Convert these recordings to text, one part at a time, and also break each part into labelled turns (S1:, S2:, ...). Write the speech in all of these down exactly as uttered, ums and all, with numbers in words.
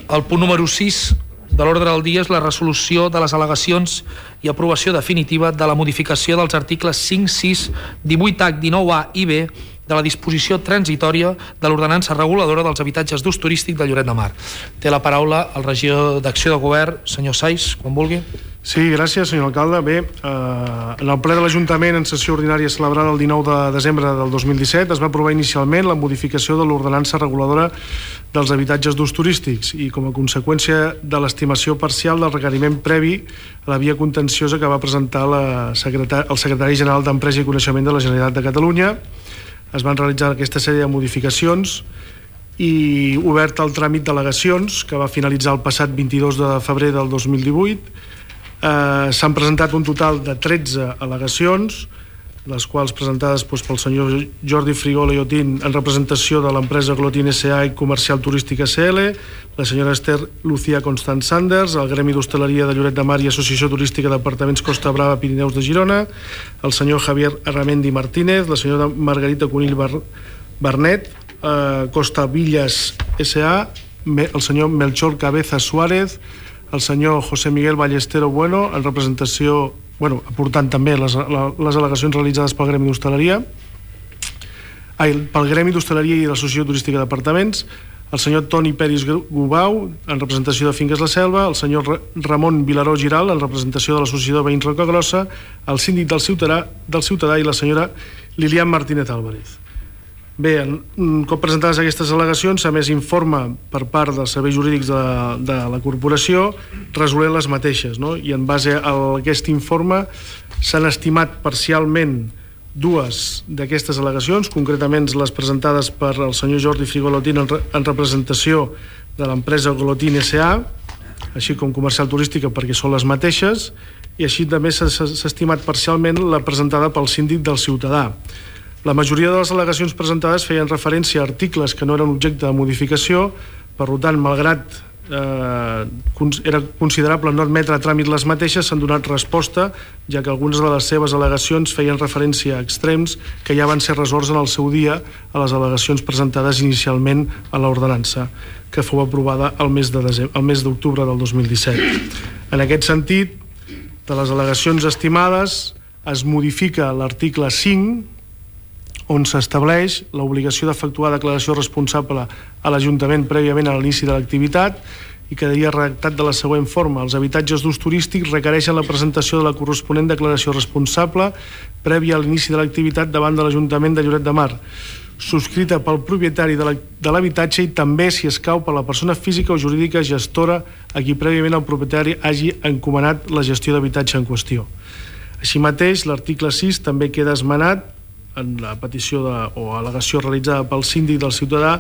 S1: El punt número sis de l'ordre del dia és la resolució de les al·legacions i aprovació definitiva de la modificació dels articles cinc, sis, divuit H, dinou A i B de la disposició transitòria de l'ordenança reguladora dels habitatges d'ús turístic de Lloret de Mar. Té la paraula el regidor d'Acció de Govern, senyor Saiz, quan vulgui.
S2: Sí, gràcies, senyor alcalde. Bé, eh, en el ple de l'Ajuntament en sessió ordinària celebrada el dinou de desembre del dos mil disset es va aprovar inicialment la modificació de l'ordenança reguladora dels habitatges d'ús turístics i com a conseqüència de l'estimació parcial del requeriment previ a la via contenciosa que va presentar la secretari, el secretari general d'Empresa i Coneixement de la Generalitat de Catalunya. Es van realitzar aquesta sèrie de modificacions i obert el tràmit d'al·legacions que va finalitzar el passat vint-i-dos de febrer del dos mil divuit. Eh, s'han presentat un total de tretze al·legacions, les quals presentades doncs, pel senyor Jordi Frigola i Otín en representació de l'empresa Glotin S A i Comercial Turístic S L, la senyora Esther Lucía Constant Sanders, el Gremi d'Hostaleria de Lloret de Mar i Associació Turística d'Apartaments Costa Brava Pirineus de Girona, el senyor Javier Arramendi Martínez, la senyora Margarita Conill Bar Barnet, eh, Costa Villas S A, el senyor Melchor Cabeza Suárez, el senyor José Miguel Ballestero Bueno, en representació, bueno, aportant també les, les al·legacions realitzades pel Gremi d'Hostaleria, ai, pel Gremi d'Hostaleria i l'Associació Turística d'Apartaments, el senyor Toni Peris Gubau, en representació de Finques La Selva, el senyor Ramon Vilaró Giral, en representació de l'Associació de Veïns Roca Grossa, el síndic del Ciutadà, del Ciutadà i la senyora Lilian Martínez Álvarez. Bé, un cop presentades aquestes al·legacions, s'ha emès informe per part dels serveis jurídics de, de la corporació resolent les mateixes, no? I en base a aquest informe s'han estimat parcialment dues d'aquestes al·legacions, concretament les presentades per el senyor Jordi Frigolotín en, re, en representació de l'empresa Glotin S A, així com Comercial Turística perquè són les mateixes, i així també s'ha estimat parcialment la presentada pel síndic del Ciutadà. La majoria de les al·legacions presentades feien referència a articles que no eren objecte de modificació, per tant, malgrat eh, era considerable no admetre a tràmit les mateixes, s'han donat resposta, ja que algunes de les seves al·legacions feien referència a extrems que ja van ser resolts en el seu dia a les al·legacions presentades inicialment a l'ordenança, que fou aprovada el mes de desembre, el mes d'octubre del dos mil disset. En aquest sentit, de les al·legacions estimades, es modifica l'article cinc, on s'estableix l'obligació d'efectuar declaració responsable a l'Ajuntament prèviament a l'inici de l'activitat i quedaria redactat de la següent forma. Els habitatges d'ús turístic requereixen la presentació de la corresponent declaració responsable prèvia a l'inici de l'activitat davant de l'Ajuntament de Lloret de Mar, subscrita pel propietari de l'habitatge i també, si escau, per la persona física o jurídica gestora a qui prèviament el propietari hagi encomanat la gestió d'habitatge en qüestió. Així mateix, l'article sis també queda esmenat en la petició de, o al·legació realitzada pel síndic del Ciutadà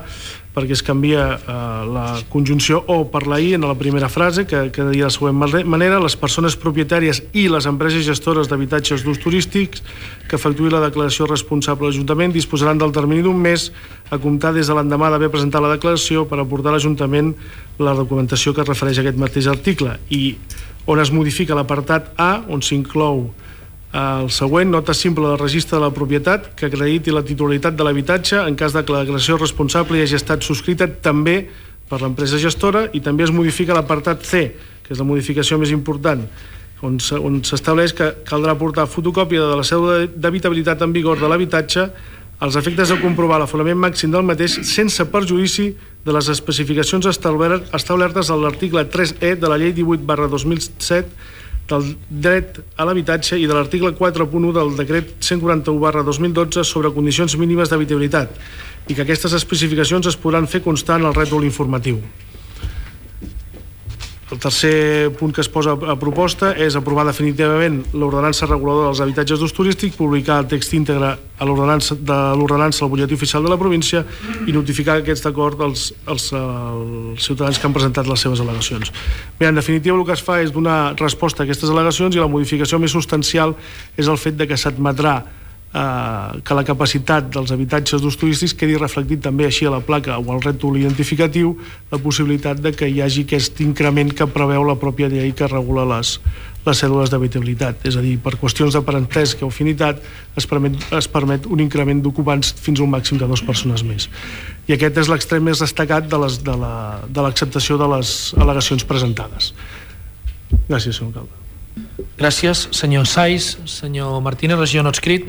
S2: perquè es canvia eh, la conjunció o per la i en la primera frase, que quedaria de la següent manera: les persones propietàries i les empreses gestores d'habitatges d'ús turístics que efectuïn la declaració responsable a l'Ajuntament disposaran del termini d'un mes a comptar des de l'endemà d'haver presentat la declaració per aportar a l'Ajuntament la documentació que es refereix a aquest mateix article, i on es modifica l'apartat A, on s'inclou el següent: nota simple del registre de la propietat que acrediti la titularitat de l'habitatge en cas de que la declaració responsable hagi estat subscrita també per l'empresa gestora, i també es modifica l'apartat C, que és la modificació més important, on s'estableix que caldrà portar fotocòpia de la cèdula d'habitabilitat en vigor de l'habitatge als efectes de comprovar l'aforament màxim del mateix sense perjudici de les especificacions establertes a l'article tres E de la llei divuit barra dos mil set del dret a l'habitatge i de l'article quatre punt u del decret cent quaranta-u barra dos mil dotze sobre condicions mínimes d'habitabilitat, i que aquestes especificacions es podran fer constar en el rètol informatiu. El tercer punt que es posa a proposta és aprovar definitivament l'ordenança reguladora dels habitatges d'ús turístic, publicar el text íntegre a l'ordenança de l'ordenança al butlletí oficial de la província i notificar aquest acord als, als, als ciutadans que han presentat les seves al·legacions. Bé, en definitiva, el que es fa és donar resposta a aquestes al·legacions, i la modificació més substancial és el fet de que s'admetrà eh, que la capacitat dels habitatges d'ús turístics quedi reflectit també així a la placa o al rètol identificatiu la possibilitat de que hi hagi aquest increment que preveu la pròpia llei que regula les, les cèdules d'habitabilitat. És a dir, per qüestions de parentesc o afinitat es permet, es permet un increment d'ocupants fins a un màxim de dues persones més. I aquest és l'extrem més destacat de les, de la, de l'acceptació de les al·legacions presentades. Gràcies, senyor alcalde.
S1: Gràcies, senyor Saiz. Senyor Martínez, regidor no adscrit.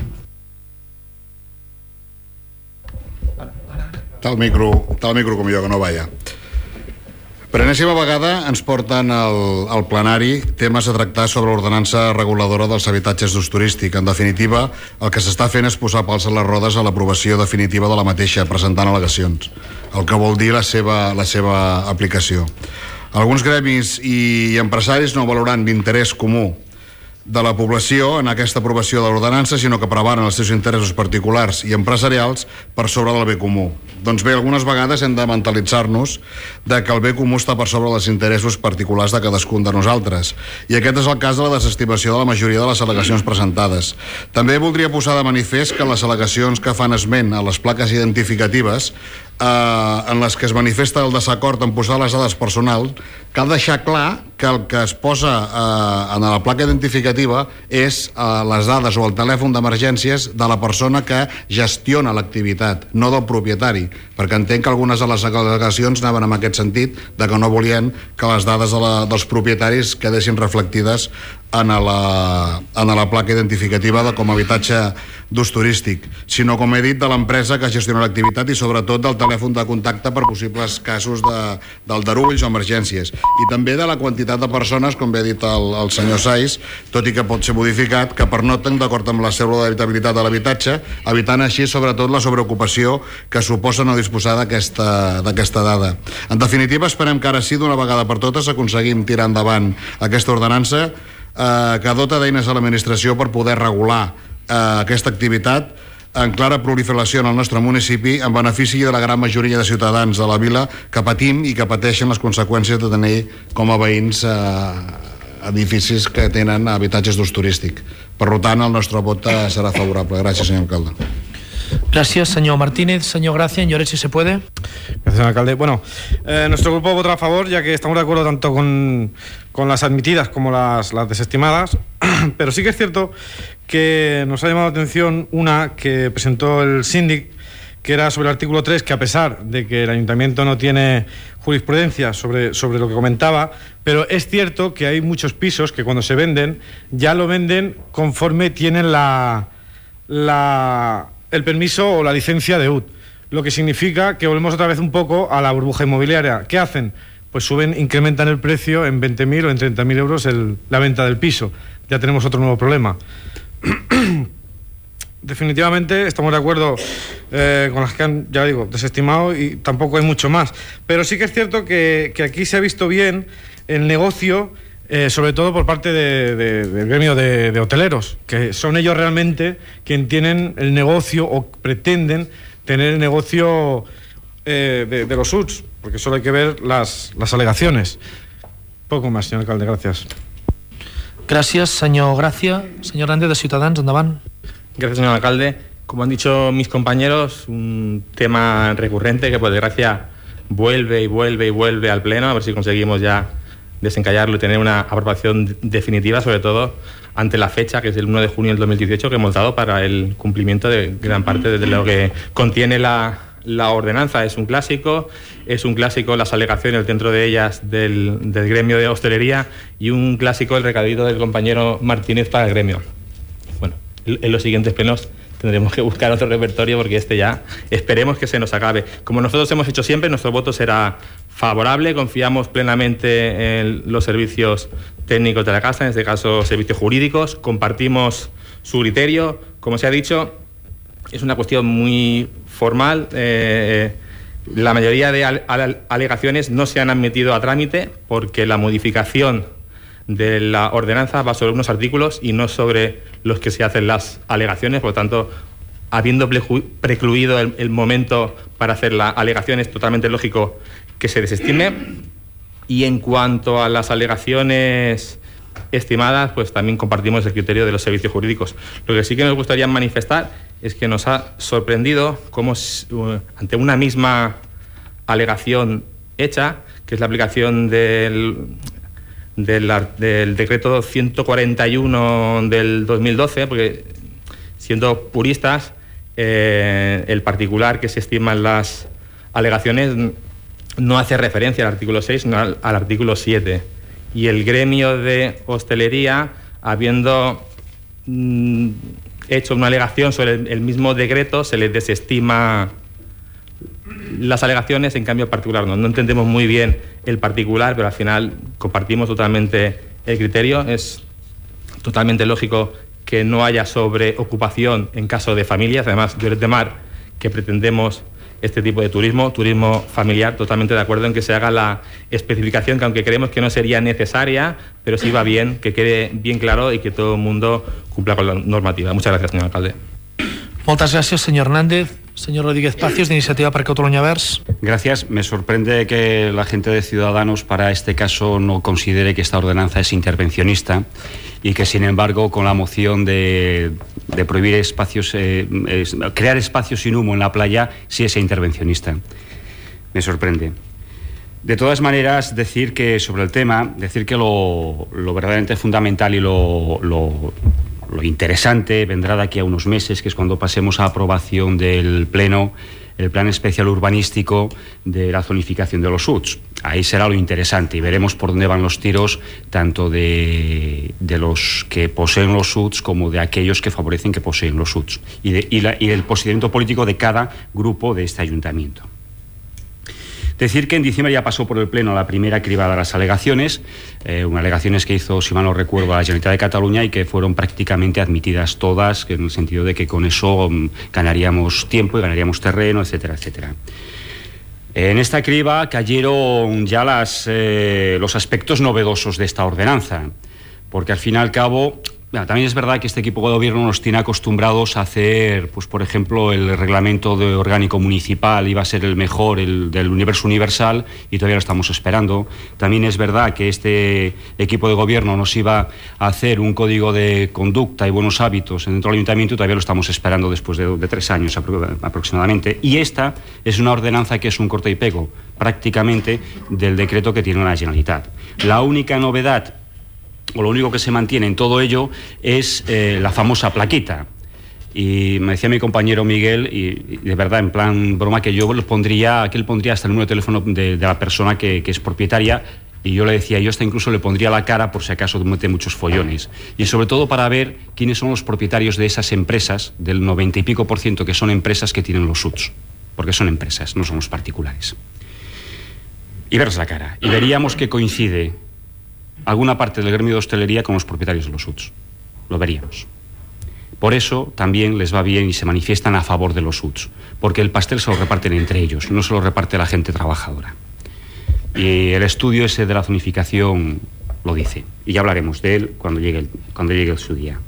S3: Tal micro, tal micro com jo, que no vaya. Per enèsima vegada ens porten al, al plenari temes a tractar sobre l'ordenança reguladora dels habitatges d'ús turístic. En definitiva, el que s'està fent és posar pals a les rodes a l'aprovació definitiva de la mateixa, presentant al·legacions, el que vol dir la seva, la seva aplicació. Alguns gremis i empresaris no valorant l'interès comú de la població en aquesta aprovació de l'ordenança, sinó que prevaren els seus interessos particulars i empresarials per sobre del bé comú. Doncs bé, algunes vegades hem de mentalitzar-nos de que el bé comú està per sobre dels interessos particulars de cadascun de nosaltres. I aquest és el cas de la desestimació de la majoria de les al·legacions presentades. També voldria posar de manifest que les al·legacions que fan esment a les plaques identificatives eh, en les que es manifesta el desacord en posar les dades personals, cal deixar clar que el que es posa eh, en la placa identificativa és eh, les dades o el telèfon d'emergències de la persona que gestiona l'activitat, no del propietari, perquè entenc que algunes de les al·legacions anaven en aquest sentit, de que no volien que les dades de la, dels propietaris quedessin reflectides en la, en la placa identificativa de com a habitatge d'ús turístic, sinó, com he dit, de l'empresa que gestiona l'activitat i sobretot del telèfon de contacte per possibles casos de, d'aldarulls o emergències, i també de la quantitat de persones, com bé ha dit el, el senyor Saiz, tot i que pot ser modificat, que pernocten d'acord amb la cèdula d'habitabilitat de l'habitatge, evitant així sobretot la sobreocupació que suposa no disposar d'aquesta, d'aquesta dada. En definitiva, esperem que ara sí, d'una vegada per totes, aconseguim tirar endavant aquesta ordenança eh, que dota d'eines a l'administració per poder regular eh, aquesta activitat en clara proliferació en el nostre municipi, en benefici de la gran majoria de ciutadans de la vila que patim i que pateixen les conseqüències de tenir com a veïns eh, edificis que tenen habitatges d'ús turístic. Per tant, el nostre vot serà favorable. Gràcies, senyor alcalde.
S1: Gracias, señor Martínez. Señor Gracia, en Lloret, si se puede.
S4: Gracias, señor alcalde. Bueno, eh, nuestro grupo votará a favor, ya que estamos de acuerdo tanto con, con las admitidas como las, las desestimadas, pero sí que es cierto que nos ha llamado la atención una que presentó el síndic, que era sobre el artículo tres, que a pesar de que el ayuntamiento no tiene jurisprudencia sobre, sobre lo que comentaba, pero es cierto que hay muchos pisos que cuando se venden, ya lo venden conforme tienen la... la el permiso o la licencia de U T, lo que significa que volvemos otra vez un poco a la burbuja inmobiliaria. ¿Qué hacen? Pues suben, incrementan el precio en veinte mil o en treinta mil euros el, la venta del piso. Ya tenemos otro nuevo problema. Definitivamente estamos de acuerdo eh, con las que han, ya digo, desestimado, y tampoco hay mucho más. Pero sí que es cierto que, que aquí se ha visto bien el negocio, Eh, sobre todo por parte de, de, del gremio de, de hoteleros, que son ellos realmente quienes tienen el negocio o pretenden tener el negocio eh, de, de los U T S, porque solo hay que ver las, las alegaciones. Poco más, señor alcalde, gracias.
S1: Gracias, señor Gracia. Señor Hernández, de Ciudadanos, andaban.
S5: Gracias, señor alcalde. Como han dicho mis compañeros, un tema recurrente que por desgracia vuelve y vuelve y vuelve al pleno, a ver si conseguimos ya desencallarlo y tener una aprobación definitiva, sobre todo ante la fecha, que es el uno de junio del dos mil dieciocho, que hemos dado para el cumplimiento de gran parte de lo que contiene la, la ordenanza. Es un clásico, es un clásico las alegaciones dentro de ellas del, del gremio de hostelería, y un clásico el recadito del compañero Martínez para el gremio. Bueno, en los siguientes plenos tendremos que buscar otro repertorio, porque este ya esperemos que se nos acabe. Como nosotros hemos hecho siempre, nuestro voto será favorable. Confiamos plenamente en los servicios técnicos de la casa, en este caso servicios jurídicos. Compartimos su criterio. Como se ha dicho, es una cuestión muy formal. Eh, la mayoría de al- al- alegaciones no se han admitido a trámite porque la modificación de la ordenanza va sobre unos artículos y no sobre los que se hacen las alegaciones. Por lo tanto, habiendo precluido el, el momento para hacer la alegación, es totalmente lógico que se desestime. Y en cuanto a las alegaciones estimadas, pues también compartimos el criterio de los servicios jurídicos. Lo que sí que nos gustaría manifestar es que nos ha sorprendido cómo ante una misma alegación hecha, que es la aplicación del, del, del decreto ciento cuarenta y uno del dos mil doce, porque siendo puristas, eh, el particular que se estima en las alegaciones no hace referencia al artículo seis, sino al, al artículo siete. Y el gremio de hostelería, habiendo mm, hecho una alegación sobre el, el mismo decreto, se les desestima las alegaciones, en cambio el particular no. No entendemos muy bien el particular, pero al final compartimos totalmente el criterio. Es totalmente lógico que no haya sobreocupación en caso de familias. Además, Lloret de Mar, que pretendemos este tipo de turismo, turismo familiar, totalmente de acuerdo en que se haga la especificación, que aunque creemos que no sería necesaria, pero sí va bien, que quede bien claro y que todo el mundo cumpla con la normativa. Muchas gracias, señor alcalde.
S1: Muchas gracias, señor Hernández. Señor Rodríguez Pacios, de Iniciativa per Catalunya Verds.
S6: Gracias. Me sorprende que la gente de Ciudadanos para este caso no considere que esta ordenanza es intervencionista y que, sin embargo, con la moción de, de prohibir espacios, eh, es, crear espacios sin humo en la playa, sí es intervencionista. Me sorprende. De todas maneras, decir que sobre el tema, decir que lo, lo verdaderamente fundamental y lo, lo Lo interesante vendrá de aquí a unos meses, que es cuando pasemos a aprobación del Pleno el Plan Especial Urbanístico de la zonificación de los U T S. Ahí será lo interesante y veremos por dónde van los tiros, tanto de, de los que poseen los U T S como de aquellos que favorecen que poseen los U T S, y, de, y, la, y el posicionamiento político de cada grupo de este ayuntamiento. Decir que en diciembre ya pasó por el Pleno la primera cribada de las alegaciones, eh, unas alegaciones que hizo, si mal no recuerdo, la Generalitat de Cataluña y que fueron prácticamente admitidas todas, en el sentido de que con eso um, ganaríamos tiempo y ganaríamos terreno, etcétera, etcétera. En esta criba cayeron ya las, eh, los aspectos novedosos de esta ordenanza, porque al fin y al cabo... Bueno, también es verdad que este equipo de gobierno nos tiene acostumbrados a hacer, pues por ejemplo, el reglamento de orgánico municipal iba a ser el mejor, el del universo universal, y todavía lo estamos esperando. También es verdad que este equipo de gobierno nos iba a hacer un código de conducta y buenos hábitos dentro del ayuntamiento, y todavía lo estamos esperando después de, de tres años aproximadamente. Y esta es una ordenanza que es un corte y pego prácticamente del decreto que tiene la Generalitat. La única novedad, o lo único que se mantiene en todo ello, es eh, la famosa plaquita. Y me decía mi compañero Miguel, y, y de verdad, en plan broma, que yo los pondría, que él pondría hasta el número de teléfono de, de la persona que, que es propietaria, y yo le decía, yo hasta incluso le pondría la cara por si acaso mete muchos follones. Y sobre todo para ver quiénes son los propietarios de esas empresas, del noventa y pico por ciento que son empresas que tienen los U T S, porque son empresas, no son los particulares. Y verles la cara, y veríamos que coincide alguna parte del gremio de hostelería con los propietarios de los U T S. Lo veríamos. Por eso también les va bien y se manifiestan a favor de los U T S, porque el pastel se lo reparten entre ellos, no se lo reparte la gente trabajadora. Y el estudio ese de la zonificación lo dice, y ya hablaremos de él cuando llegue, el, cuando llegue su día.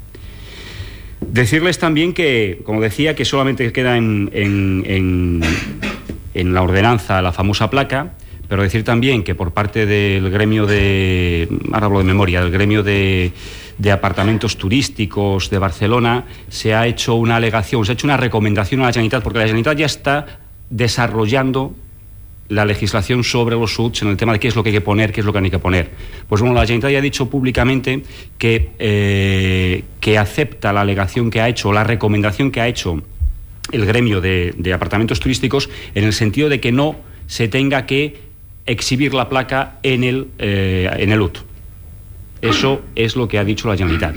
S6: Decirles también que, como decía, que solamente queda en, en, en, en la ordenanza la famosa placa, pero decir también que por parte del gremio de, ahora hablo de memoria, del gremio de, de apartamentos turísticos de Barcelona, se ha hecho una alegación, se ha hecho una recomendación a la Generalitat, porque la Generalitat ya está desarrollando la legislación sobre los U T S en el tema de qué es lo que hay que poner, qué es lo que no hay que poner. Pues bueno, la Generalitat ya ha dicho públicamente que, eh, que acepta la alegación que ha hecho, la recomendación que ha hecho el gremio de, de apartamentos turísticos, en el sentido de que no se tenga que exhibir la placa en el, eh, en el U T. Eso es lo que ha dicho la Generalitat.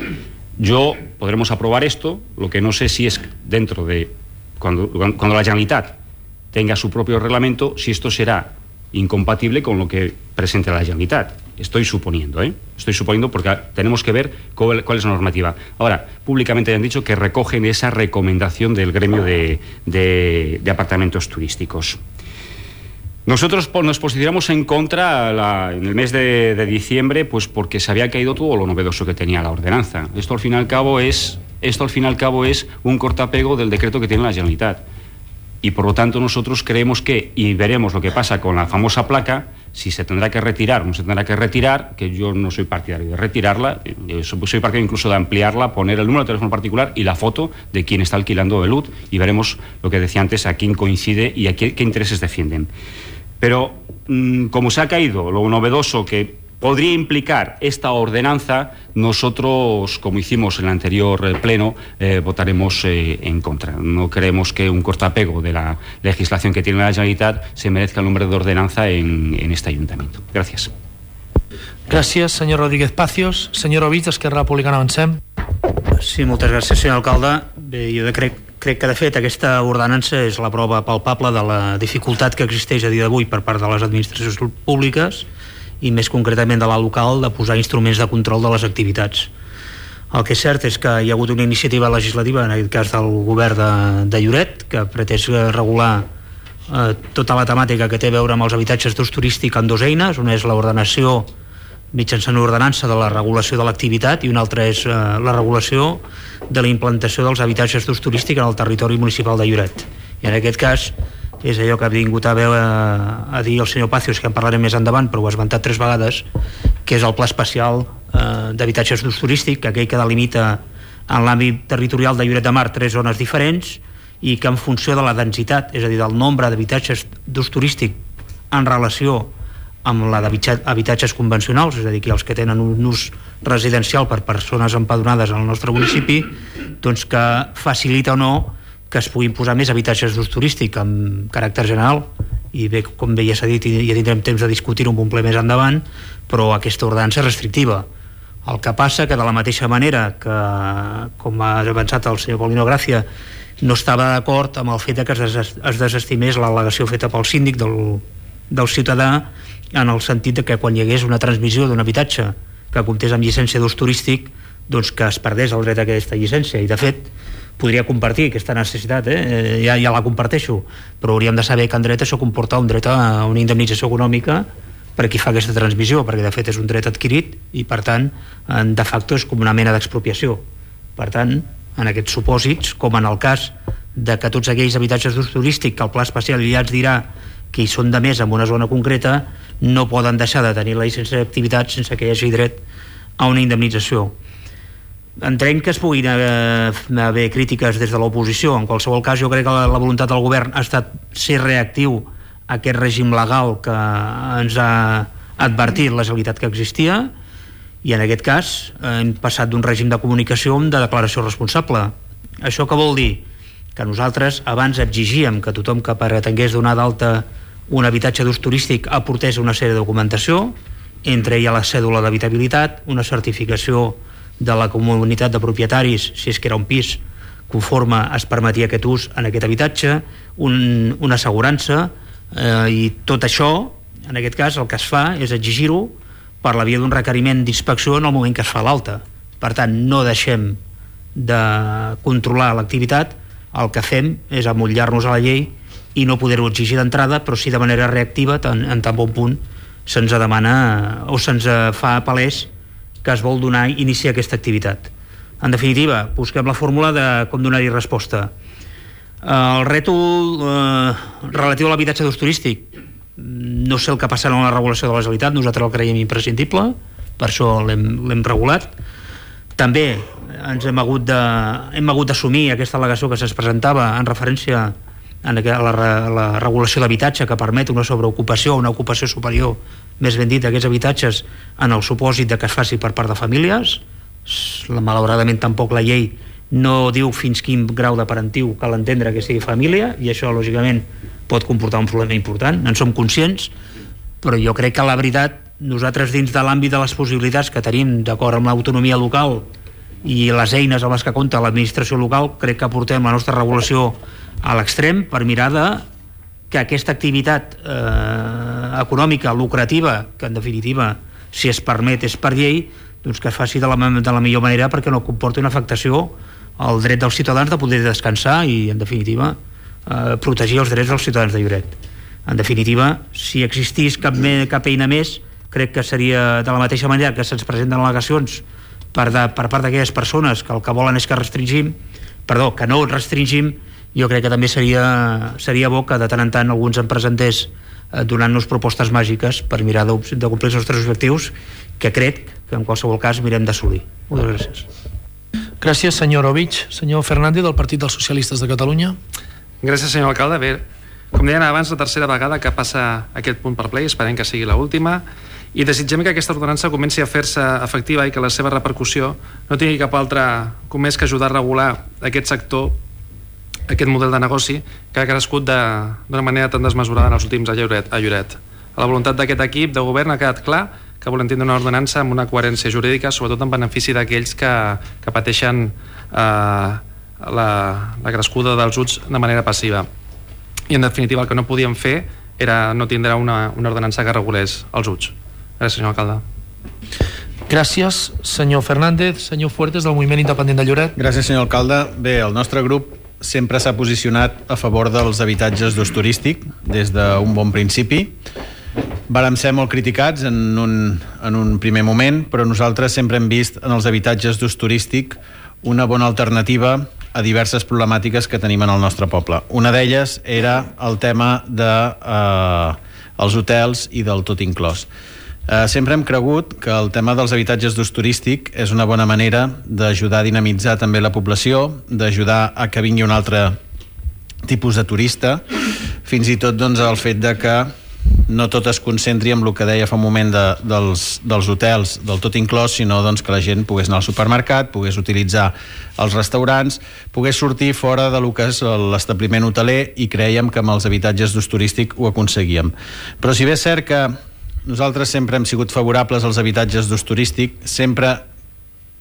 S6: Yo, podremos aprobar esto, lo que no sé si es dentro de, cuando, cuando la Generalitat tenga su propio reglamento, si esto será incompatible con lo que presente la Generalitat. Estoy suponiendo, ¿eh? Estoy suponiendo porque tenemos que ver cuál, cuál es la normativa. Ahora, públicamente han dicho que recogen esa recomendación del gremio de, de, de apartamentos turísticos. Nosotros nos posicionamos en contra la, en el mes de, de diciembre, pues porque se había caído todo lo novedoso que tenía la ordenanza. Esto al fin y al cabo es, esto al fin y al cabo es un cortapego del decreto que tiene la Generalitat. Y por lo tanto nosotros creemos que, y veremos lo que pasa con la famosa placa, Si se tendrá que retirar o no se tendrá que retirar, que yo no soy partidario de retirarla, yo soy partidario incluso de ampliarla, poner el número de teléfono particular y la foto de quien está alquilando el L U D, y veremos lo que decía antes, a quién coincide y a qué, qué intereses defienden. Pero mmm, como se ha caído lo novedoso que podría implicar esta ordenanza, nosotros, como hicimos en el anterior pleno, eh, votaremos eh, en contra. No creemos que un cortapego de la legislación que tiene la Generalitat se merezca el nombre de ordenanza en, en este ayuntamiento. Gracias.
S1: Gràcies, senyor Rodríguez Pacios. Senyor Ovich, d'Esquerra Republicana, avancem.
S7: Sí, moltes gràcies, senyor alcalde. Bé, jo crec, crec que, de fet, aquesta ordenança és la prova palpable de la dificultat que existeix a dia d'avui per part de les administracions públiques i més concretament de la local, de posar instruments de control de les activitats. El que és cert és que hi ha hagut una iniciativa legislativa, en aquest cas del govern de, de Lloret, que pretén regular eh, tota la temàtica que té a veure amb els habitatges d'ús turístic amb dues eines. Una és l'ordenació mitjançant una ordenança de la regulació de l'activitat i una altra és eh, la regulació de la implantació dels habitatges d'ús turístic en el territori municipal de Lloret. I en aquest cas és allò que ha vingut a veure a dir el senyor Pacios, que en parlarem més endavant, però ho ha esmentat tres vegades, que és el pla especial eh, d'habitatges d'ús turístic, aquell que delimita en l'àmbit territorial de Lloret de Mar tres zones diferents i que en funció de la densitat, és a dir, del nombre d'habitatges d'ús turístic en relació amb la d'habitatges convencionals, és a dir, que els que tenen un ús residencial per persones empadronades al nostre municipi, doncs que facilita o no que es puguin posar més habitatges d'ús turístic amb caràcter general, i bé, com bé ja s'ha dit, ja tindrem temps de discutir-ho un ple més endavant, però aquesta ordenança és restrictiva. El que passa que de la mateixa manera que, com ha avançat el senyor Paulino Gracia, no estava d'acord amb el fet que es, des, es desestimés l'al·legació feta pel síndic del, del ciutadà, en el sentit de que quan hi hagués una transmissió d'un habitatge que comptés amb llicència d'ús turístic, doncs que es perdés el dret a aquesta llicència. I de fet podria compartir aquesta necessitat, eh? ja, ja la comparteixo, però hauríem de saber que en dret això comporta un dret a una indemnització econòmica per a qui fa aquesta transmissió, perquè de fet és un dret adquirit i per tant de facto és com una mena d'expropiació. Per tant, en aquests supòsits, com en el cas de que tots aquells habitatges d'ús turístic que el pla especial ja ens dirà que hi són de més en una zona concreta, no poden deixar de tenir la llicència d'activitat sense que hi hagi dret a una indemnització. Entenc que es puguin haver crítiques des de l'oposició. En qualsevol cas, jo crec que la, la voluntat del govern ha estat ser reactiu a aquest règim legal que ens ha advertit la Generalitat que existia, i en aquest cas hem passat d'un règim de comunicació a un de declaració responsable. Això què vol dir? Que nosaltres abans exigíem que tothom que pretengués donar d'alta un habitatge d'ús turístic aportés una sèrie de documentació, entre ella la cèdula d'habitabilitat, una certificació de la comunitat de propietaris, si és que era un pis conforme es permetia aquest ús en aquest habitatge, un, una assegurança, eh, i tot això, en aquest cas, el que es fa és exigir-ho per la via d'un requeriment d'inspecció en el moment que es fa l'alta. Per tant, no deixem de controlar l'activitat, el que fem és amollar-nos a la llei i no poder-ho exigir d'entrada, però sí de manera reactiva, tant, en tan bon punt se'ns demana o se'ns fa palès que es vol donar iniciar aquesta activitat. En definitiva, busquem la fórmula de com donar-hi resposta. El rètol eh, relatiu a l'habitatge d'ús turístic, no sé el que passarà en la regulació de la Generalitat, nosaltres el creiem imprescindible, per això l'hem regulat. També ens hem hagut de, hem hagut d'assumir aquesta al·legació que se'ns presentava en referència a la, a la regulació d'habitatge, que permet una sobreocupació, una ocupació superior, més ben dit, d'aquests habitatges en el supòsit de que es faci per part de famílies. Malauradament tampoc la llei no diu fins quin grau de parentiu cal entendre que sigui família, i això lògicament pot comportar un problema important, en som conscients, però jo crec que la veritat, nosaltres dins de l'àmbit de les possibilitats que tenim d'acord amb l'autonomia local i les eines amb les que compta l'administració local, crec que portem la nostra regulació a l'extrem per mirar de que aquesta activitat eh, econòmica lucrativa, que en definitiva si es permet és per llei, doncs que es faci de la, de la millor manera perquè no comporti una afectació al dret dels ciutadans de poder descansar i en definitiva eh, protegir els drets dels ciutadans de Lloret. En definitiva, si existís cap, me, cap eina més, crec que seria de la mateixa manera que se'ns presenten al·legacions per, de, per part d'aquelles persones que el que volen és que restringim, perdó, que no restringim, jo crec que també seria, seria bo que de tant en tant alguns en presentés eh, donant-nos propostes màgiques per mirar de, de complir els nostres objectius, que crec que en qualsevol cas mirem d'assolir. Moltes gràcies.
S1: Gràcies, senyor Ovich. Senyor Fernández, del Partit dels Socialistes de Catalunya.
S8: Gràcies, senyor alcalde. Bé, com deien abans, la tercera vegada que passa aquest punt per ple, esperem que sigui l'última, i desitgem que aquesta ordenança comenci a fer-se efectiva i que la seva repercussió no tingui cap altre com més que ajudar a regular aquest sector, aquest model de negoci que ha crescut d'una manera tan desmesurada en els últims a Lloret. A Lloret. La voluntat d'aquest equip de govern ha quedat clar que volen tindre una ordenança amb una coherència jurídica, sobretot en benefici d'aquells que, que pateixen eh, la, la crescuda dels uts de manera passiva. I en definitiva el que no podíem fer era no tindre una, una ordenança que regulés els uts. Gràcies, senyor alcalde.
S1: Gràcies, senyor Fernández. Senyor Fuertes, del Moviment Independent de Lloret.
S9: Gràcies, senyor alcalde. Bé, el nostre grup sempre s'ha posicionat a favor dels habitatges d'ús turístic des d'un bon principi. Vàrem ser molt criticats en un, en un primer moment, però nosaltres sempre hem vist en els habitatges d'ús turístic una bona alternativa a diverses problemàtiques que tenim en el nostre poble. Una d'elles era el tema dels de, eh, hotels i del tot inclòs. Eh, sempre hem cregut que el tema dels habitatges d'ús turístic és una bona manera d'ajudar a dinamitzar també la població, d'ajudar a que vingui un altre tipus de turista, fins i tot doncs, el fet de que no tot es concentri en el que deia fa un moment de, dels, dels hotels del tot inclòs, sinó doncs, que la gent pogués anar al supermercat, pogués utilitzar els restaurants, pogués sortir fora de lo que és l'establiment hoteler, i creiem que amb els habitatges d'ús turístic ho aconseguíem. Però si bé és cert que nosaltres sempre hem sigut favorables als habitatges d'ús turístic, sempre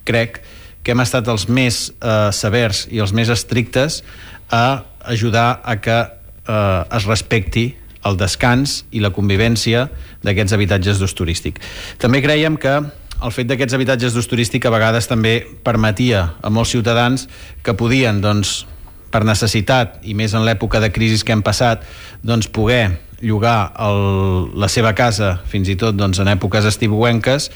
S9: crec que hem estat els més eh, severs i els més estrictes a ajudar a que eh, es respecti el descans i la convivència d'aquests habitatges d'ús turístic. També creiem que el fet d'aquests habitatges d'ús turístic a vegades també permetia a molts ciutadans que podien, doncs, per necessitat, i més en l'època de crisi que hem passat, doncs, poder llogar el, la seva casa fins i tot doncs, en èpoques estiuenques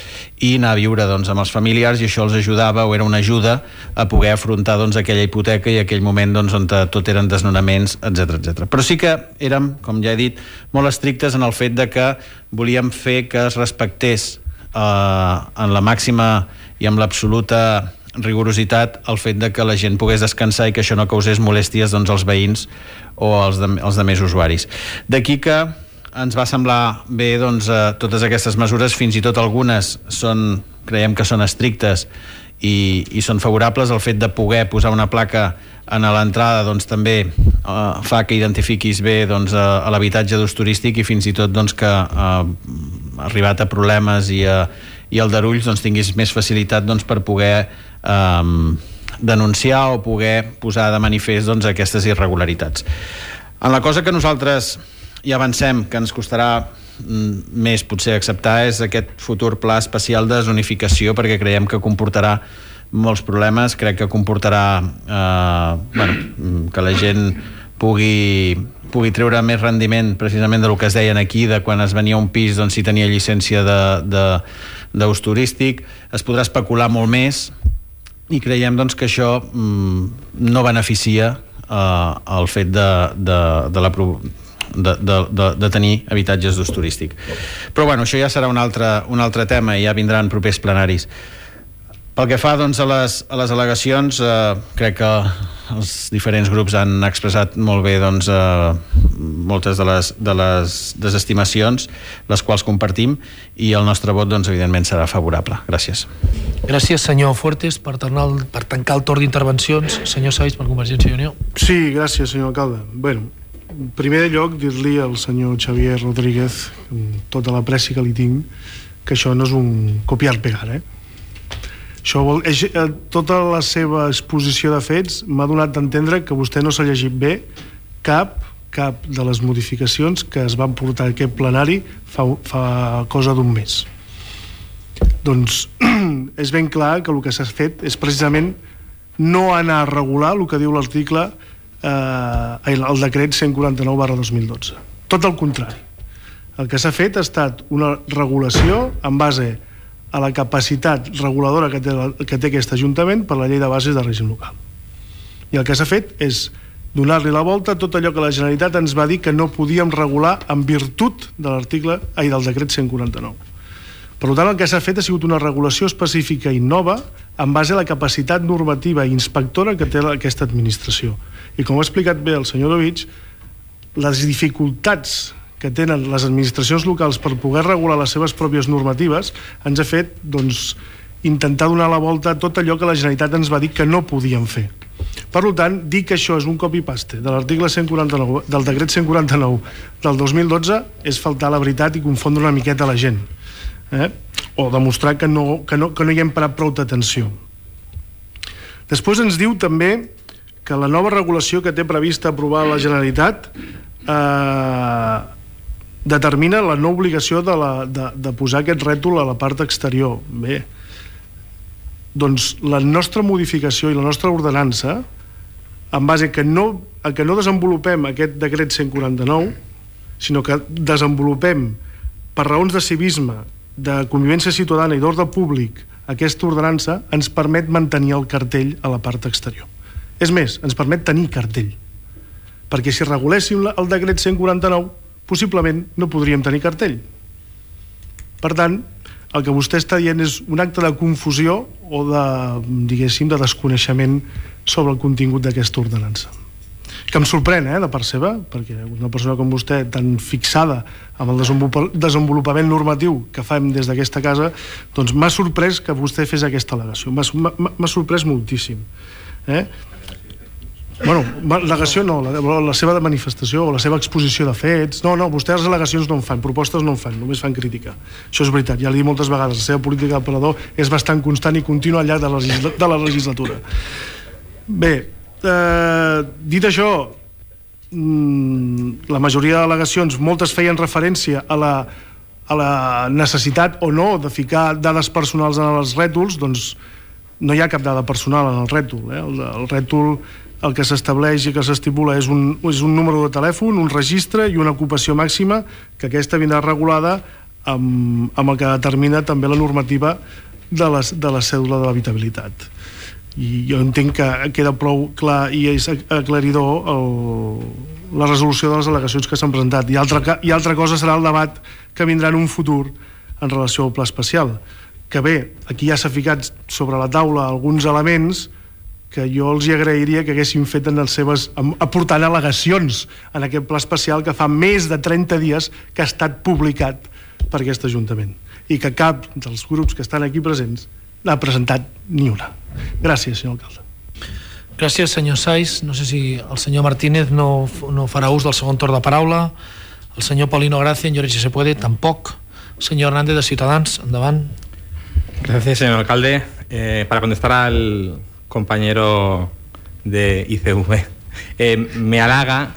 S9: i anar a viure doncs, amb els familiars, i això els ajudava o era una ajuda a poder afrontar doncs, aquella hipoteca i aquell moment doncs, on tot eren desnonaments, etcètera etcètera. Però sí que érem, com ja he dit, molt estrictes en el fet de que volíem fer que es respectés eh, en la màxima i amb l'absoluta rigorositat el fet de que la gent pogués descansar i que això no causés molèsties doncs, als veïns o als, de, als demés usuaris. D'aquí que ens va semblar bé doncs, eh, totes aquestes mesures, fins i tot algunes són, creiem que són estrictes i, i són favorables. El fet de poder posar una placa en l'entrada doncs, també eh, fa que identifiquis bé doncs, a, a l'habitatge d'ús turístic, i fins i tot doncs, que eh, arribat a problemes i, a, i aldarulls doncs, tinguis més facilitat doncs, per poder eh, denunciar o poder posar de manifest doncs, aquestes irregularitats. En la cosa que nosaltres ja avancem, que ens costarà més potser acceptar, és aquest futur pla especial de zonificació, perquè creiem que comportarà molts problemes. Crec que comportarà eh, bueno, que la gent pugui, pugui treure més rendiment precisament del que es deien aquí, de quan es venia un pis doncs, si tenia llicència d'ús turístic. Es podrà especular molt més, i creiem doncs, que això mm, no beneficia eh, el fet de, de, de, la, de, de, de, de tenir habitatges d'ús turístic. Però bueno, això ja serà un altre, un altre tema, i ja vindran propers plenaris. Pel que fa doncs, a, les, a les al·legacions, eh, crec que els diferents grups han expressat molt bé doncs, eh, moltes de les, de les desestimacions, les quals compartim, i el nostre vot doncs, evidentment serà favorable. Gràcies.
S1: Gràcies, senyor Fuertes. Per, tornar, per tancar el torn d'intervencions, senyor Sais, per Convergència i Unió.
S2: Sí, gràcies, senyor alcalde. Bueno, en primer lloc, dir-li al senyor Xavier Rodríguez, amb tota la pressi que li tinc, que això no és un copiar-pegar, eh? Això vol, és, eh, tota la seva exposició de fets m'ha donat d'entendre que vostè no s'ha llegit bé cap, cap de les modificacions que es van portar a aquest plenari fa, fa cosa d'un mes. Doncs és ben clar que el que s'ha fet és precisament no anar a regular el que diu l'article eh, el decret cent quaranta-nou barra dos mil dotze. Tot el contrari. El que s'ha fet ha estat una regulació en base a la capacitat reguladora que té, que té aquest Ajuntament per la llei de bases de règim local. I el que s'ha fet és donar-li la volta a tot allò que la Generalitat ens va dir que no podíem regular en virtut de l'article ai, del decret cent quaranta-nou. Per tant, el que s'ha fet ha sigut una regulació específica i nova en base a la capacitat normativa i inspectora que té aquesta administració. I com ha explicat bé el senyor Dovich, les dificultats que tenen les administracions locals per poder regular les seves pròpies normatives ens ha fet, doncs, intentar donar la volta a tot allò que la Generalitat ens va dir que no podíem fer. Per tant, dir que això és un copy-paste de l'article cent quaranta-nou, del decret cent quaranta-nou del dos mil dotze és faltar a la veritat i confondre una miqueta la gent. Eh? O demostrar que no, que, no, que no hi hem parat prou d'atenció. Després ens diu també que la nova regulació que té prevista aprovar la Generalitat eh, determina la no obligació de, la, de, de posar aquest rètol a la part exterior. Bé, doncs la nostra modificació i la nostra ordenança, en base que no, a que no desenvolupem aquest decret cent quaranta-nou, sinó que desenvolupem per raons de civisme, de convivència ciutadana i d'ordre públic aquesta ordenança, ens permet mantenir el cartell a la part exterior. És més, ens permet tenir cartell, perquè si reguléssim el decret cent quaranta-nou possiblement no podríem tenir cartell. Per tant, el que vostè està dient és un acte de confusió o de, diguéssim, de desconeixement sobre el contingut d'aquesta ordenança. Que em sorprèn, eh, de part seva, perquè una persona com vostè, tan fixada amb el desenvolupament normatiu que fem des d'aquesta casa, doncs m'ha sorprès que vostè fes aquesta al·legació. M'ha sorprès moltíssim. Eh? Bueno, al·legació no, la, la seva manifestació o la seva exposició de fets. No, no, vostès les al·legacions no en fan, propostes no en fan, només fan crítica. Això és veritat, ja l'he dit moltes vegades, la seva política d'aperador és bastant constant i contínua al llarg de la, legisla de la legislatura. Bé, eh, dit això, la majoria d'al·legacions, moltes feien referència a la, a la necessitat o no de ficar dades personals en els rètols. Doncs no hi ha cap dada personal en el rètol. Eh? El, el rètol, el que s'estableix i que s'estipula és un, és un número de telèfon, un registre i una ocupació màxima, que aquesta vindrà regulada amb, amb el que determina també la normativa de la, de la cèdula de l'habitabilitat. I jo entenc que queda prou clar i és aclaridor el, la resolució de les al·legacions que s'han presentat. I altra, i altra cosa serà el debat que vindrà en un futur en relació al pla especial, que bé, aquí ja s'ha ficat sobre la taula alguns elements que jo els hi agrairia que haguessin fet en les seves, aportant al·legacions en aquest pla especial que fa més de trenta dies que ha estat publicat per aquest Ajuntament i que cap dels grups que estan aquí presents n'ha presentat ni una. Gràcies, senyor alcalde.
S1: Gràcies, senyor Saiz. No sé si el senyor Martínez no, no farà ús del segon torn de paraula. El senyor Paulino Gracia, en Lloret si se puede, tampoc. El senyor Hernández, de Ciutadans, endavant.
S5: Gracias, señor alcalde. Eh, para contestar al compañero de I C V, eh, me halaga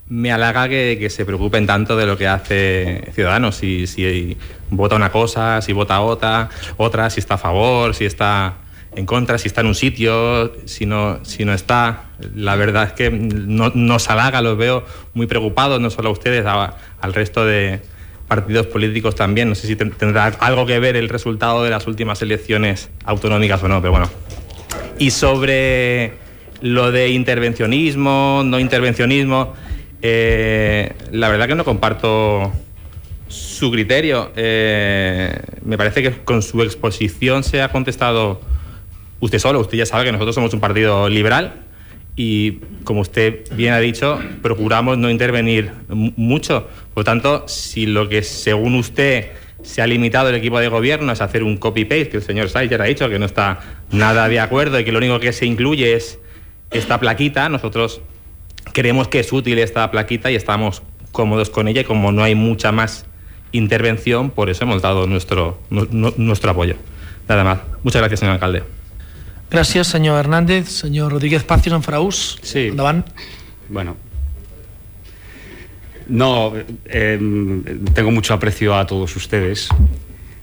S5: me halaga que, que se preocupen tanto de lo que hace Ciudadanos, si, si vota una cosa, si vota otra, otra, si está a favor, si está en contra, si está en un sitio, si no, si no está. La verdad es que no, nos halaga, los veo muy preocupados, no solo a ustedes, a, al resto de partidos políticos también. No sé si tendrá algo que ver el resultado de las últimas elecciones autonómicas o no, pero bueno. Y sobre lo de intervencionismo, no intervencionismo, eh, la verdad que no comparto su criterio. Eh, me parece que con su exposición se ha contestado usted solo. Usted ya sabe que nosotros somos un partido liberal y, como usted bien ha dicho, procuramos no intervenir mucho. Por lo tanto, si lo que según usted se ha limitado el equipo de gobierno es hacer un copy-paste, que el señor Saiz ya ha dicho que no está nada de acuerdo y que lo único que se incluye es esta plaquita, nosotros creemos que es útil esta plaquita y estamos cómodos con ella, y como no hay mucha más intervención, por eso hemos dado nuestro, nu, nuestro apoyo. Nada más. Muchas gracias, señor alcalde.
S1: Gràcies, senyor Hernández. Senyor Rodríguez Pazos, en farà ús?
S6: Sí.
S1: Endavant.
S6: Bueno. No, eh, tengo mucho aprecio a todos ustedes,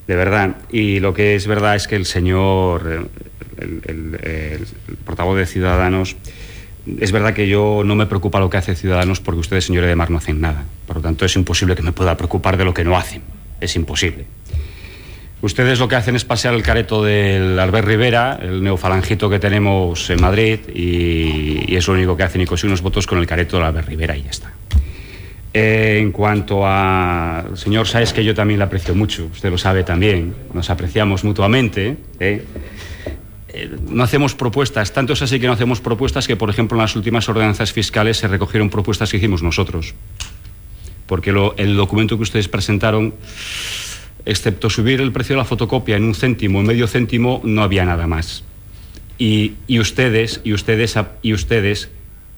S6: de verdad. Y lo que es verdad es que el señor, el, el, el, el portavoz de Ciudadanos, es verdad que yo no me preocupa lo que hace Ciudadanos porque ustedes, señores de Mar, no hacen nada. Por lo tanto, es imposible que me pueda preocupar de lo que no hacen. Es imposible. Ustedes lo que hacen es pasear el careto del Albert Rivera, el neofalangito que tenemos en Madrid, y, y es lo único que hacen, y consiguen unos votos con el careto del Albert Rivera y ya está. Eh, en cuanto al señor Sáez, que yo también le aprecio mucho, usted lo sabe también, nos apreciamos mutuamente, ¿eh? Eh, no hacemos propuestas, tanto es así que no hacemos propuestas que, por ejemplo, en las últimas ordenanzas fiscales se recogieron propuestas que hicimos nosotros, porque lo, el documento que ustedes presentaron, excepto subir el precio de la fotocopia en un céntimo, en medio céntimo, no había nada más. Y, y ustedes, y ustedes, y ustedes,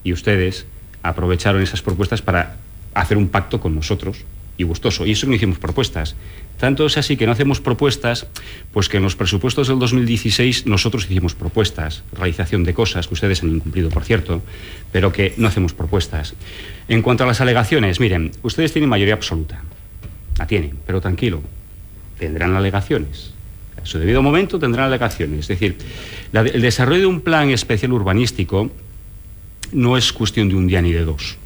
S6: y ustedes aprovecharon esas propuestas para hacer un pacto con nosotros y gustoso. Y eso no hicimos propuestas. Tanto es así que no hacemos propuestas, pues que en los presupuestos del dos mil dieciséis nosotros hicimos propuestas, realización de cosas que ustedes han incumplido, por cierto, pero que no hacemos propuestas. En cuanto a las alegaciones, miren, ustedes tienen mayoría absoluta. La tienen, pero tranquilo. Tendrán alegaciones. A su debido momento tendrán alegaciones. Es decir, la, el desarrollo de un plan especial urbanístico no es cuestión de un día ni de dos.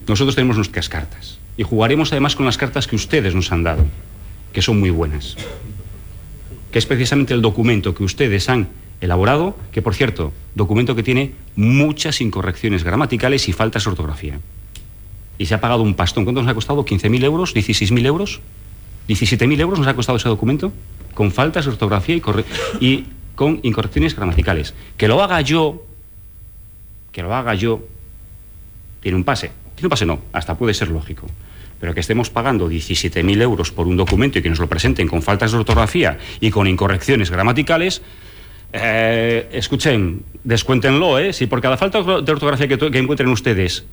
S6: Nosotros tenemos nuestras cartas y jugaremos además con las cartas que ustedes nos han dado, que son muy buenas, que es precisamente el documento que ustedes han elaborado, que por cierto, documento que tiene muchas incorrecciones gramaticales y faltas de ortografía. Y se ha pagado un pastón. ¿Cuánto nos ha costado? ¿quince mil euros? ¿dieciséis mil euros? ¿diecisiete mil euros nos ha costado ese documento? Con faltas de ortografía y, corre y con incorrecciones gramaticales. Que lo haga yo, que lo haga yo, tiene un pase. Tiene un pase no, hasta puede ser lógico. Pero que estemos pagando diecisiete mil euros por un documento y que nos lo presenten con faltas de ortografía y con incorrecciones gramaticales, eh, escuchen, descuéntenlo, ¿eh? Si por cada falta de ortografía que, que encuentren ustedes,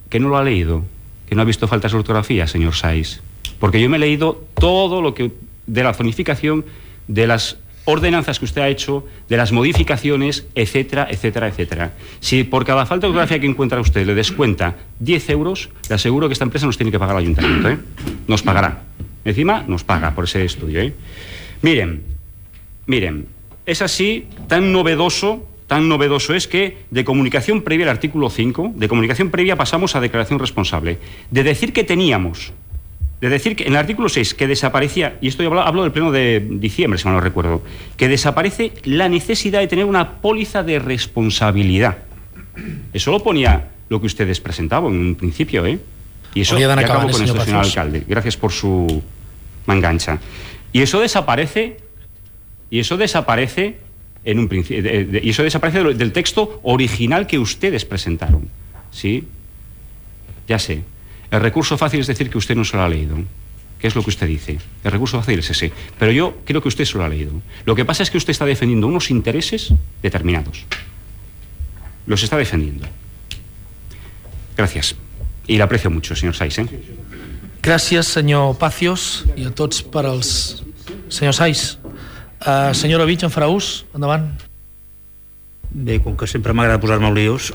S6: que no lo ha leído, que no ha visto faltas de ortografía, señor Sáez. Porque yo me he leído todo lo que de la zonificación, de las ordenanzas que usted ha hecho, de las modificaciones, etcétera, etcétera, etcétera. Si por cada falta de ortografía que encuentra usted le descuenta diez euros, le aseguro que esta empresa nos tiene que pagar al ayuntamiento, ¿eh? Nos pagará. Encima nos paga por ese estudio, ¿eh? Miren, miren, es así, tan novedoso, tan novedoso es que de comunicación previa, el artículo cinco, de comunicación previa pasamos a declaración responsable. De decir que teníamos... De decir que en el artículo seis, que desaparecía, y esto yo hablo, hablo del pleno de diciembre, si mal no recuerdo, que desaparece la necesidad de tener una póliza de responsabilidad. Eso lo ponía lo que ustedes presentaban en un principio, ¿eh? Y eso ya acabo con esto, señor alcalde. Gracias por su mangancha. Y eso desaparece, y eso desaparece en un principio, de, de, y eso desaparece del, del texto original que ustedes presentaron. ¿Sí? Ya sé. El recurso fácil es decir que usted no se lo ha leído. ¿Qué es lo que usted dice? El recurso fácil es ese. Pero yo creo que usted se lo ha leído. Lo que pasa es que usted está defendiendo unos intereses determinados. Los está defendiendo. Gracias. I l'aprecio mucho, senyor Sáez. Eh?
S1: Gràcies, senyor Pacios, i a tots per als... Senyor Sáez. Uh, senyora Vich, en farà ús? Endavant.
S7: Bé, com que sempre m'agrada posar-me al líos...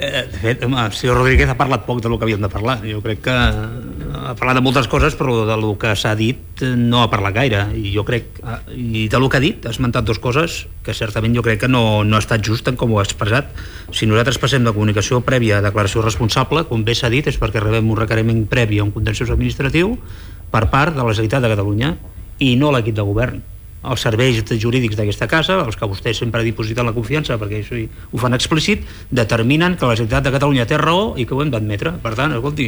S7: De fet, home, el senyor Rodríguez ha parlat poc del que havíem de parlar. Jo crec que ha parlat de moltes coses, però del que s'ha dit no ha parlat gaire. I jo crec, i del que ha dit, ha esmentat dues coses que certament jo crec que no, no ha estat just en com ho ha expressat. Si nosaltres passem de comunicació prèvia a declaració responsable, com bé s'ha dit, és perquè rebem un requeriment previ a un contenciós administratiu per part de la Generalitat de Catalunya i no l'equip de govern. Els serveis jurídics d'aquesta casa, els que vostè sempre ha dipositat la confiança, perquè això ho fan explícit, determinen que la Generalitat de Catalunya té raó i que ho hem d'admetre. Per tant, escolti,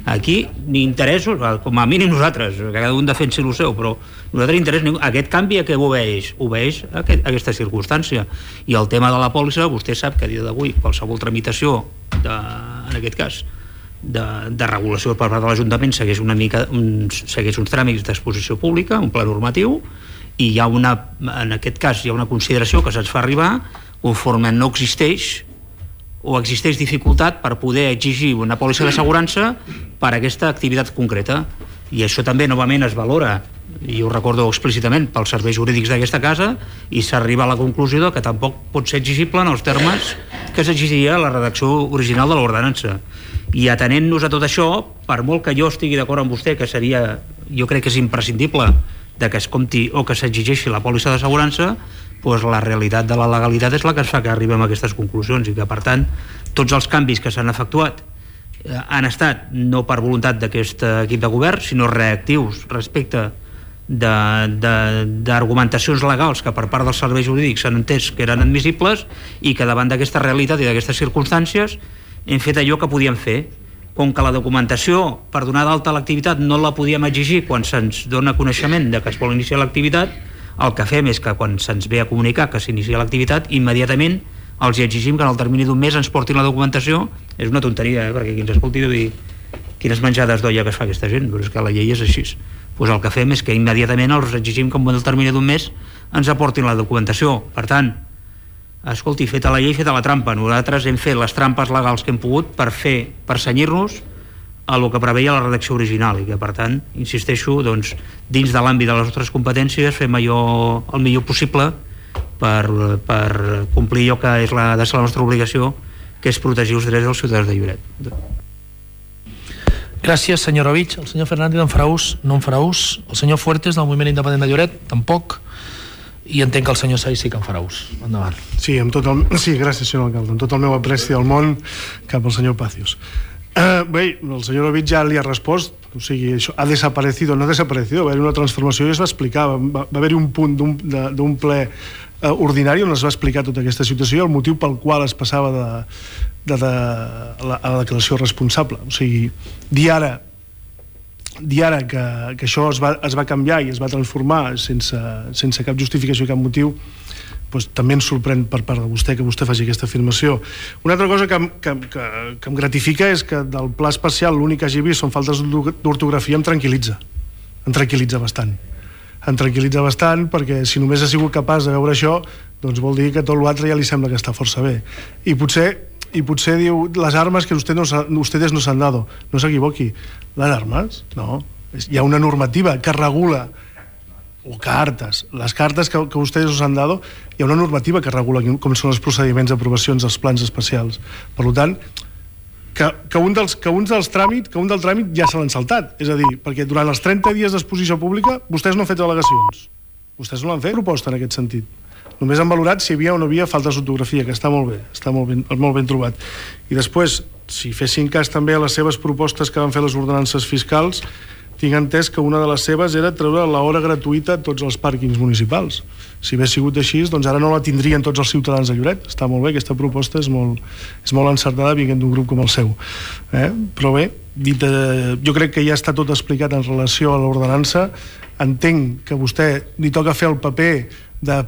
S7: aquí ni interessos, com a mínim nosaltres, que cada un defensi el seu, però nosaltres interès ningú. Aquest canvi a què obeeix? Obeeix a, aquest, a aquesta circumstància. I el tema de la pòlissa, vostè sap que a dia d'avui qualsevol tramitació, de, en aquest cas, de, de regulació per part de l'Ajuntament segueix una mica, un, segueix uns tràmits d'exposició pública, un pla normatiu, i hi ha una, en aquest cas hi ha una consideració que se'ns fa arribar conforme no existeix o existeix dificultat per poder exigir una pòlissa d'assegurança per a aquesta activitat concreta, i això també novament es valora, i ho recordo explícitament, pels serveis jurídics d'aquesta casa, i s'arriba a la conclusió que tampoc pot ser exigible en els termes que s'exigia la redacció original de l'ordenança. I atenent-nos a tot això, per molt que jo estigui d'acord amb vostè que seria, jo crec que és imprescindible de que es compti o que s'exigeixi la pòlissa d'assegurança, doncs la realitat de la legalitat és la que es fa que arribem a aquestes conclusions, i que per tant tots els canvis que s'han efectuat han estat no per voluntat d'aquest equip de govern, sinó reactius respecte d'argumentacions legals que per part dels serveis jurídics s'han entès que eren admissibles, i que davant d'aquesta realitat i d'aquestes circumstàncies hem fet allò que podíem fer. Com que la documentació per donar d'alta l'activitat no la podíem exigir quan se'ns dona coneixement de que es vol iniciar l'activitat, el que fem és que quan se'ns ve a comunicar que s'inicia l'activitat, immediatament els hi exigim que en el termini d'un mes ens portin la documentació. És una tonteria, eh? Perquè qui ens escolti deu dir quines menjades d'olla que es fa aquesta gent, però és que la llei és així. Pues el que fem és que immediatament els exigim que en el termini d'un mes ens aportin la documentació. Per tant, escolti, feta la llei, feta la trampa. Nosaltres hem fet les trampes legals que hem pogut per fer, per cenyir-nos a el que preveia la redacció original, i que per tant, insisteixo, doncs, dins de l'àmbit de les nostres competències fem allò el millor possible per, per complir allò que és la, de ser la nostra obligació, que és protegir els drets dels ciutadans de Lloret.
S1: Gràcies, senyor Rovich. El senyor Fernández en farà ús? No en farà ús. El senyor Fuertes, del Moviment Independent de Lloret, tampoc. I entenc que el senyor Saiz sí que en farà ús. Endavant.
S2: Sí, amb tot el... sí, gràcies, senyor alcalde. Amb tot el meu apreci del món cap al senyor Pacios. Uh, bé, el senyor Rovich ja li ha respost, o sigui, això ha desaparecido, no ha desaparecido, va haver una transformació i es va explicar, va, va haver-hi un punt d'un ple uh, ordinari on es va explicar tota aquesta situació i el motiu pel qual es passava de, de, de, la, a la declaració responsable. O sigui, dir ara dir ara que, que això es va, es va canviar i es va transformar sense, sense cap justificació i cap motiu, doncs, també ens sorprèn per part de vostè que vostè faci aquesta afirmació. Una altra cosa que, que, que, que em gratifica és que del pla especial l'únic que hagi vist són faltes d'ortografia. Em tranquil·litza, em tranquil·litza bastant em tranquil·litza bastant perquè si només ha sigut capaç de veure això, doncs vol dir que tot l'altre ja li sembla que està força bé. I potser, i potser diu les armes que usted no, ustedes no s'han dado. No s'equivoqui, les armes no, hi ha una normativa que regula, o cartes, les cartes que, que vostès us han dado, hi ha una normativa que regula com són els procediments d'aprovacions dels plans especials. Per tant, que, que, un dels, que uns dels tràmits, que un del tràmit ja se l'han saltat. És a dir, perquè durant els trenta dies d'exposició pública vostès no han fet al·legacions. Vostès no l'han fet proposta en aquest sentit. Només han valorat si hi havia o no havia faltes d'ortografia, que està molt bé, està molt ben, molt ben trobat. I després, si fessin cas també a les seves propostes que van fer les ordenances fiscals, tinc entès que una de les seves era treure l'hora gratuïta a tots els pàrquings municipals. Si hagués sigut així, doncs ara no la tindrien tots els ciutadans de Lloret. Està molt bé, aquesta proposta és molt, és molt encertada vinguent d'un grup com el seu. Eh? Però bé, dit, eh, jo crec que ja està tot explicat en relació a l'ordenança. Entenc que vostè li toca fer el paper de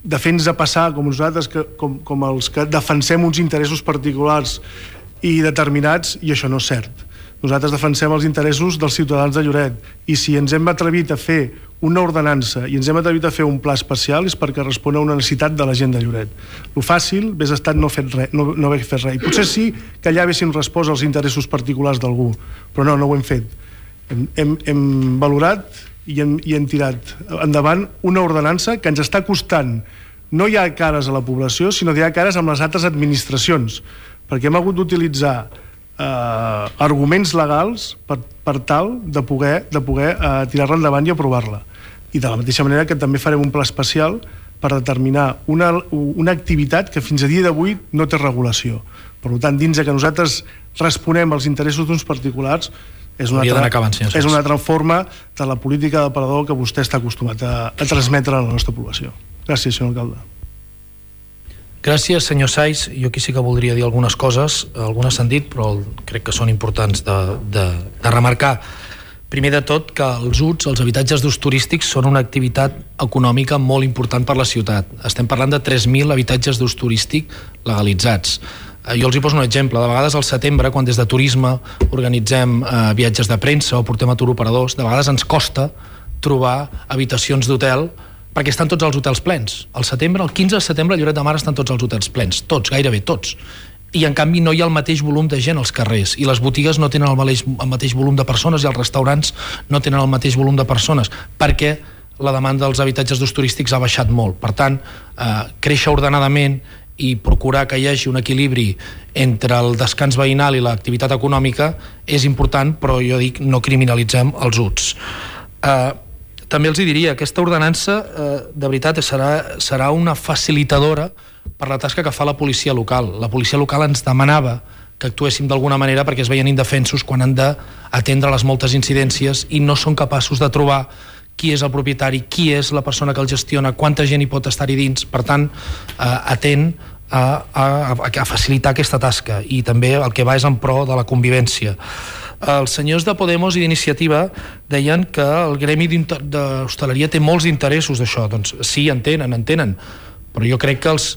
S2: de fer-nos passar com nosaltres, que, com, com els que defensem uns interessos particulars i determinats, i això no és cert. Nosaltres defensem els interessos dels ciutadans de Lloret, i si ens hem atrevit a fer una ordenança i ens hem atrevit a fer un pla especial és perquè respon a una necessitat de la gent de Lloret. Lo fàcil hauria estat no, fet res, no, no haver fet res. I potser sí que allà haguessin respost als interessos particulars d'algú, però no, no ho hem fet. Hem, hem, hem valorat i hem, i hem tirat endavant una ordenança que ens està costant no hi ha cares a la població, sinó que hi ha cares amb les altres administracions, perquè hem hagut d'utilitzar eh, arguments legals per, per tal de poder, de poder eh, tirar-la endavant i aprovar-la. I de la mateixa manera que també farem un pla especial per determinar una, una activitat que fins a dia d'avui no té regulació. Per tant, dins de que nosaltres responem als interessos d'uns particulars, és una, altra, acabant, és una altra forma de la política de parador que vostè està acostumat a, a transmetre a la nostra població. Gràcies, senyor alcalde.
S1: Gràcies, senyor Saiz. Jo aquí sí que voldria dir algunes coses, algunes s'han dit, però crec que són importants de, de, de remarcar. Primer de tot, que els U Ts, els habitatges d'ús turístic, són una activitat econòmica molt important per la ciutat. Estem parlant de tres mil habitatges d'ús turístic legalitzats. Jo els hi poso un exemple. De vegades al setembre, quan des de turisme organitzem eh, viatges de premsa o portem a turoperadors, de vegades ens costa trobar habitacions d'hotel perquè estan tots els hotels plens. Al setembre, el quinze de setembre, a Lloret de Mar estan tots els hotels plens, tots, gairebé tots. I en canvi no hi ha el mateix volum de gent als carrers, i les botigues no tenen el mateix, el mateix volum de persones, i els restaurants no tenen el mateix volum de persones, perquè la demanda dels habitatges d'ús turístics ha baixat molt. Per tant, eh, créixer ordenadament i procurar que hi hagi un equilibri entre el descans veïnal i l'activitat econòmica és important, però jo dic, no criminalitzem els U Ts. Eh, també els diria, aquesta ordenança eh, de veritat serà, serà una facilitadora per la tasca que fa la policia local. La policia local ens demanava que actuéssim d'alguna manera perquè es veien indefensos quan han d'atendre les moltes incidències i no són capaços de trobar qui és el propietari, qui és la persona que el gestiona, quanta gent hi pot estar-hi dins. Per tant, eh, atent a, a, a facilitar aquesta tasca, i també el que va és en pro de la convivència. Els senyors de Podemos i d'Iniciativa deien que el gremi d'hostaleria té molts interessos d'això. Doncs sí, entenen, entenen, però jo crec que els,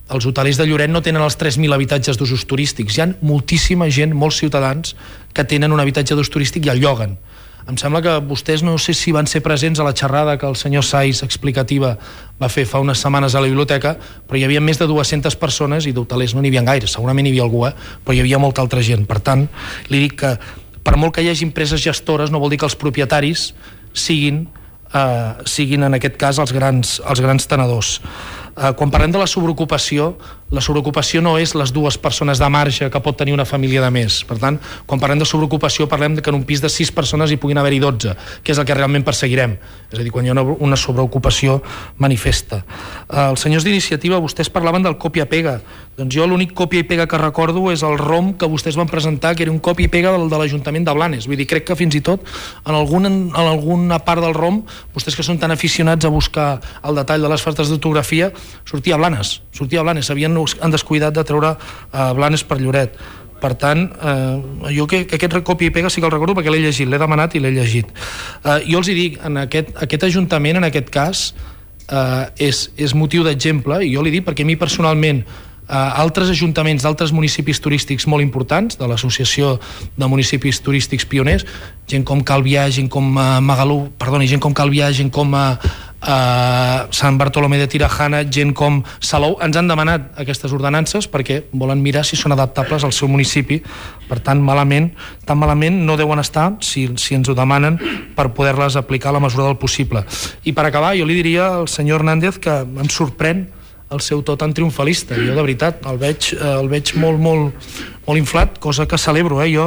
S1: els hotelers de Lloret no tenen els tres mil habitatges d'usos turístics. Hi ha moltíssima gent, molts ciutadans, que tenen un habitatge d'ús turístic i el lloguen. Em sembla que vostès, no sé si van ser presents a la xerrada que el senyor Saiz explicativa va fer fa unes setmanes a la biblioteca, però hi havia més de dues-centes persones i d'hotelers no n'hi havia gaire, segurament hi havia algú, eh? Però hi havia molta altra gent. Per tant, li dic que per molt que hi hagi empreses gestores no vol dir que els propietaris siguin, eh, siguin en aquest cas els grans, els grans tenedors. Eh, quan parlem de la sobreocupació, la sobreocupació no és les dues persones de marge que pot tenir una família de més. Per tant, quan parlem de sobreocupació parlem de que en un pis de sis persones hi puguin haver-hi dotze, que és el que realment perseguirem. És a dir, quan hi ha una, una sobreocupació manifesta. Eh, els senyors d'Iniciativa, vostès parlaven del copia-pega. Doncs jo l'únic copia i pega que recordo és el ROM que vostès van presentar, que era un copia i pega del de l'Ajuntament de Blanes. Vull dir, crec que fins i tot en, algun, en alguna part del ROM, vostès que són tan aficionats a buscar el detall de les faltes d'autografia, sortia a Blanes, sortia a Blanes, havien han descuidat de treure uh, Blanes per Lloret. Per tant, eh, jo que, que aquest copia i pega sí que el recordo perquè l'he llegit, l'he demanat i l'he llegit. Eh, jo els hi dic, en aquest, aquest Ajuntament, en aquest cas, eh, és, és motiu d'exemple, i jo li dic perquè a mi personalment Uh, altres ajuntaments d'altres municipis turístics molt importants, de l'Associació de Municipis Turístics Pioners, gent com Calvià, gent com uh, Magalú, perdoni, gent com Calvià, gent com uh, uh, Sant Bartolomé de Tirajana, gent com Salou, ens han demanat aquestes ordenances perquè volen mirar si són adaptables al seu municipi. Per tant, malament, tan malament no deuen estar si, si ens ho demanen per poder-les aplicar a la mesura del possible. I per acabar, jo li diria al senyor Hernández que em sorprèn el seu to tan triomfalista. Jo, de veritat, el veig, el veig molt, molt, molt inflat, cosa que celebro, eh? Jo,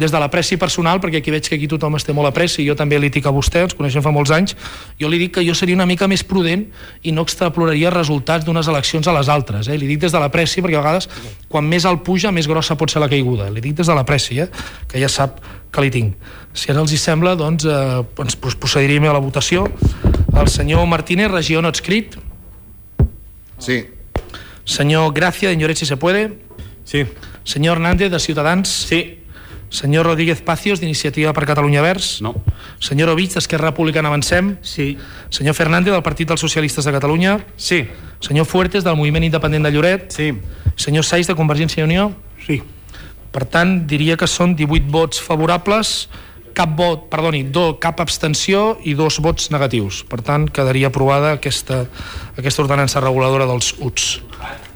S1: des de l'apreci personal, perquè aquí veig que aquí tothom es té molt apreci, jo també li dic a vostè, ens coneixem fa molts anys, jo li dic que jo seria una mica més prudent i no extrapolaria resultats d'unes eleccions a les altres, eh? Li dic des de l'apreci, perquè a vegades, quan més alt puja, més grossa pot ser la caiguda. Li dic des de l'apreci, eh? Que ja sap que li tinc. Si ara els hi sembla, doncs, eh, ens procediríem a la votació. El senyor Martínez, regió no adscrit.
S3: Sí.
S1: Señor Gracia, de Lloret, si se puede.
S4: Sí.
S1: Señor Hernández, de Ciutadans.
S5: Sí.
S1: Senyor Rodríguez Pacios, d'Iniciativa per Catalunya Verds.
S6: No.
S1: Senyor Ovich, d'Esquerra Republicana Avancem.
S7: Sí.
S1: Senyor Fernández, del Partit dels Socialistes de Catalunya.
S8: Sí.
S1: Senyor Fuertes, del Moviment Independent de Lloret.
S4: Sí.
S1: Senyor Saiz, de Convergència i Unió.
S2: Sí.
S1: Per tant, diria que són divuit vots favorables, cap vot, perdoni, do, cap abstenció i dos vots negatius. Per tant, quedaria aprovada aquesta, aquesta ordenança reguladora dels U T S.